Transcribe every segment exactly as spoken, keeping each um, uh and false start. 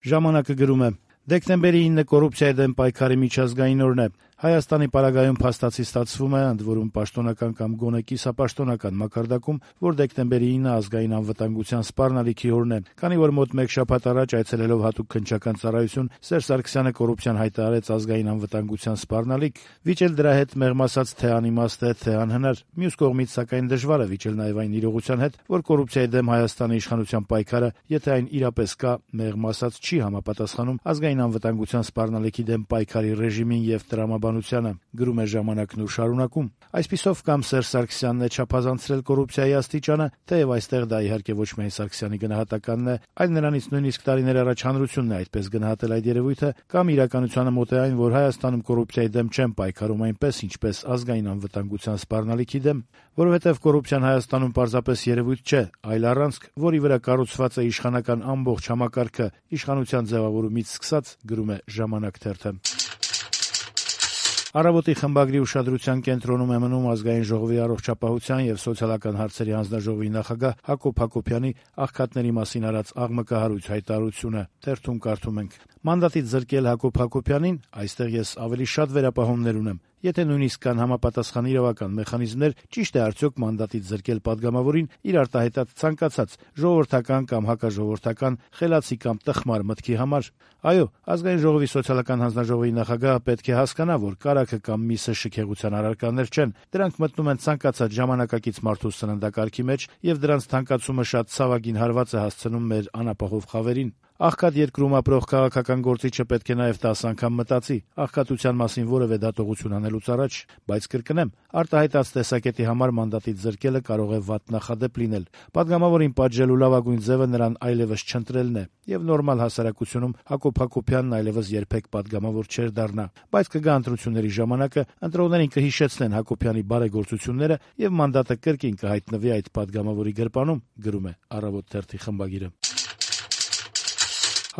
Ժամանակը գրում է. Դեկտեմբերի ինը կոռուպցիայի դեմ պայքարի միջազգային օրն է։ Հայաստանի պարագայում փաստացի ստացվում է, ընդ որում պաշտոնական կամ գոնե կիսապաշտոնական մակարդակում, որ դեկտեմբերի ինը ազգային անվտանգության սպառնալիքի օրն է, քանի որ մոտ մեկ շաբաթ առաջ այցելելով հատուկ քննչական ծառայություն Սերժ Սարգսյանը կոռուպցիան հայտարարեց ազգային անվտանգության սպառնալիք, վիճել դրա հետ մեղմ ասած թե անիմաստ է, թե անհնար։ Մյուս կողմից սակայն դժվար է վիճել նաև այն իրողության հետ, որ կոռուպցիայի դեմ Հայաստանի իշխանության պայքարը, եթե այն իրապես կա, մեղմ ասած չի համապատասխանում ազգային անվտանգության սպառնալիքի դեմ պայքարի ռեժիմին եւ տրամաբանությանը, գրում է ժամանակն ու շարունակում։ Այսպիսով կամ Սերժ Սարգսյանն է չափազանցրել կոռուպցիայի աստիճանը, թեև այստեղ դա իհարկե ոչ միայն Սարգսյանի գնահատականն է, այլ նրանից նույնիսկ տարիներ առաջ հանրությունն է այդպես գնահատել այդ երևույթը, կամ իրականությանը մոտ է այն, որ Հայաստանում կոռուպցիայի դեմ չեն պայքարում այնպես, ինչպես ազգային անվտանգության սպառնալիքի դեմ, որովհետև կոռուպցիան Հայաստանում պարզապես երևույթ չէ, այլ առանցք, որի վրա կառուցված է իշխանական ամբողջ համակարգը, իշխանության ձևավորումից սկսած, գրում է Ժամանակ թերթը։ Առավոտի խմբագրի ուշադրության կենտրոնում է մնում Ազգային ժողովի առողջապահության եւ սոցիալական հարցերի հանձնաժողովի նախագահ Հակոբ Հակոբյանի աղքատների մասին արած աղմկահարույց հայտարարությունը։ Թերթում կարդում ենք. Մանդատից զրկել Հակոբ Հակոբյանին, այստեղ ես ավելի շատ վերապահումներ ունեմ։ Եթե նույնիսկ կան համապատասխան իրավական մեխանիզմներ, ճիշտ է արդյոք մանդատից զրկել պատգամավորին իր արտահայտած ցանկացած ժողովրդական կամ հակաժողովրդական խելացի կամ տխմար մտքի համար։ Այո, Ազգային ժողովի սոցիալական հանձնաժողովի նախագահը պետք է հասկանա, որ կարագը կամ միսը շքեղության առարկաներ չեն։ Դրանք մտնում են ցանկացած ժամանակակից մարդու սննդակարգի մեջ եւ դրանց թանկացումը շատ ցավագին հարված է հասցնում մեր անապահով խավերին։ Աղքատ երկրում ապրող քաղաքական գործիչը պետք է նաև դас անգամ մտածի աղքատության մասին որևէ դատողություն անելուց առաջ, բայց կրկնեմ, արտահայտած տեսակետի համար մանդատից զրկելը կարող է վատ նախադեպ լինել։ Պատգամավորին պատժելու լավագույն ձևը նրան այլևս չընտրելն է, եւ նորմալ հասարակությունում Հակոբ Հակոբյանն այլևս երբեք պատգամավոր չէր դառնա։ Բայց կգա ընտրությունների ժամանակը, ընտրողներին կհիշեցնեն Հակոբյանի բարեգործությունները եւ մանդատը կրկին կհայտնվի այդ պատգամավորի գրպանում, գրում է Առավոտ թերթի խմբագիրը։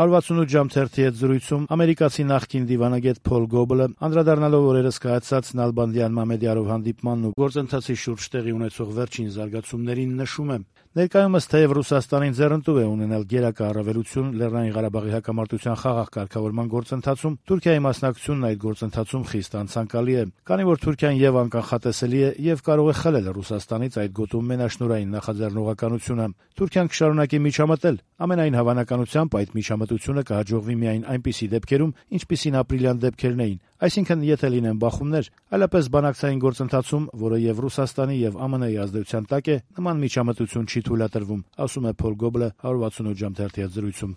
հարվածունութ ժամ թերթի հետ զրույցում ամերիկացի նախկին դիվանագետ Փոլ Գոբլը, անդրադառնալով օրերս կայացած Նալբանդյան Մամեդյարով հանդիպմանն ու գործընթացի շուրջ տեղի ունեցող վերջին զարգացումներին նշում է. Ներկայումս թեև Ռուսաստանին ձեռնտու է ունենալ գերակա առավելություն Լեռնային Ղարաբաղի հակամարտության խաղաղ կարգավորման գործընթացում, Թուրքիայի մասնակցությունն այդ գործընթացում խիստ անցանկալի է, քանի որ Թուրքիան եւ անկանխատեսելի է եւ կարող է խլել Ռուսաստանից այդ գոտու մենաշնորհային նախաձեռնողականությունը։ Թուրքիան կշարունակի միջամտել, ամենայն հավանականությամբ այդ միջամտությունը կհաջողվի միայն այնպիսի դեպքերում, ինչպիսին ապրիլյան դեպքերն էին, այսինքն եթե լինեն բախումներ, այլապես բանակցային գործընթացում, որը եւ Ռուսաստանի եւ ԱՄՆ-ի ազդեցության տակ է, նման միջամտություն չի թույլատրվում, ասում է Փոլ Գոբլը հարվածունութ ժամ թերթի հետ զրույցում։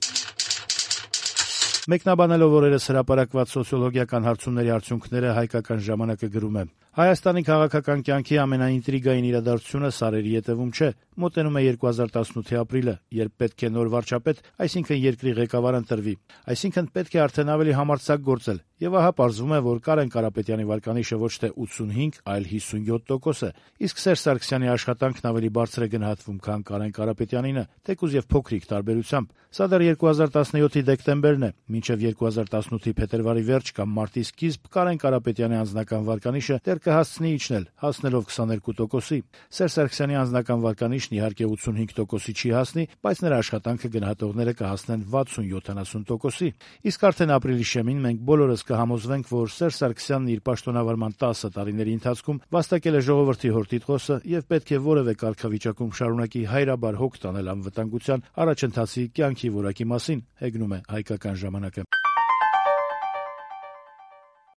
Մեկնաբանելով օրերս հրապարակված սոցիոլոգիական հարցումների արդյունքները հայկական ժամանակը գրում է. Հայաստանի քաղաքական կյանքի ամենաինտրիգային իրադարձությունը սարերի ետևում չէ, մոտենում է երկու հազար տասնութի ապրիլը, երբ պետք է նոր վարչապետ, այսինքն երկրի ղեկավար ընտրվի, այսինքն պետք է արդեն ավելի համարձակ գործել, եւ ահա պարզվում է, որ Կարեն Կարապետյանի վարկանիշը ոչ թե ութսունհինգ, այլ հիսունյոթ տոկոս է, իսկ Սերժ Սարգսյանի աշխատանքն ավելի բարձր է գնահատվում, քան Կարեն Կարապետյանինը, թեկուզ եւ փոքրիկ տարբերությամբ։ Սա դեռ երկու հազար տասնյոթի դեկտեմբերն է, մինչև երկու հազար տասնութի փետրվարի վերջ կամ մարտի սկիզբ Կարեն Կարապետյանի անձնական վարկանիշը դեռ կհասցնի իջնել, հասնելով քսաներկու տոկոսի։ Սերժ Սարգսյանի անձնական վարկանիշն իհարկե ութսունհինգ տոկոսի չի հասնի, բայց նրա աշխատանքը գնահատողները կհասնեն վաթսուն-յոթանասուն տոկոսի։ Իսկ արդեն ապրիլի շեմին մենք բոլորս կհամոզվենք, որ Սերժ Սարգսյանն իր պաշտոնավարման տասը տարիների ընթացքում վաստակել է ժողովրդի հորտիտղոսը եւ պետք է որևէ կարգավիճակում շարունակի հայրաբար հոգ տանել անվտանգության առաջընթացի կյանքի որակի մասին, հեգնում է հայկական ժամանակը։